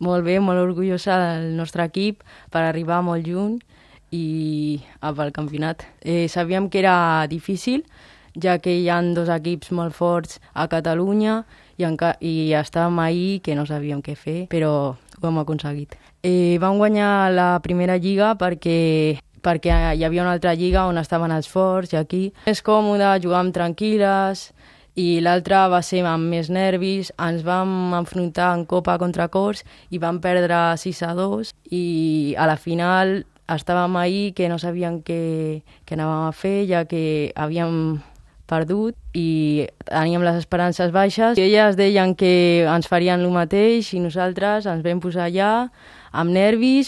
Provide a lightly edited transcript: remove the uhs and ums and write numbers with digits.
Molt bé, molt orgullosa del nostre equip per arribar molt lluny i pel campionat. Sabíem que era difícil, ja que hi ha dos equips molt forts a Catalunya i estàvem ahir que no sabíem què fer, però ho hem aconseguit. Vam guanyar la primera lliga perquè hi havia una altra lliga on estaven els forts i aquí. És còmode, jugàvem tranquil·les i l'altra va ser amb més nervis. Ens vam enfrontar en Copa contra Corts i vam perdre 6-2 i a la final estàvem ahir que no sabíem què anàvem a fer, ja que havíem perdut i teníem les esperances baixes. I elles deien que ens farien el mateix i nosaltres ens vam posar allà amb nervis.